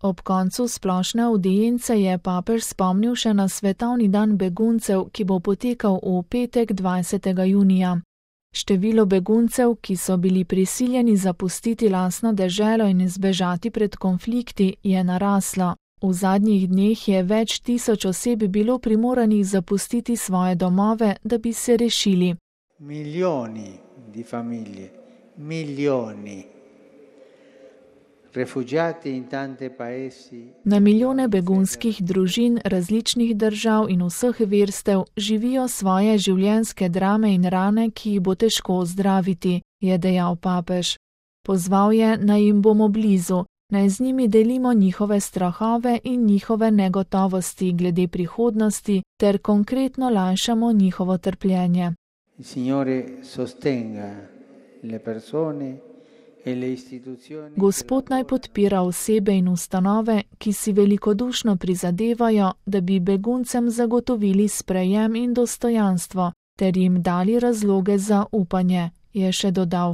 Ob koncu splošne avdience je papež spomnil še na svetovni dan beguncev, ki bo potekal v petek 20. junija. Število beguncev, ki so bili prisiljeni zapustiti lastno deželo in zbežati pred konflikti, je naraslo. V zadnjih dneh je več tisoč oseb bilo primoranih zapustiti svoje domove, da bi se rešili. Milioni di famiglie, milioni. Rifugiati in tante paesi. Na milijone begunskih družin različnih držav in vseh verstev živijo svoje življenjske drame in rane, ki jih bo težko ozdraviti, je dejal papež. Pozval je, naj jim bomo blizu, naj z njimi delimo njihove strahove in njihove negotovosti glede prihodnosti ter konkretno lajšamo njihovo trpljenje. Il Signore sostenga le persone. Gospod naj podpira osebe in ustanove, ki si velikodušno prizadevajo, da bi beguncem zagotovili sprejem in dostojanstvo, ter jim dali razloge za upanje, je še dodal.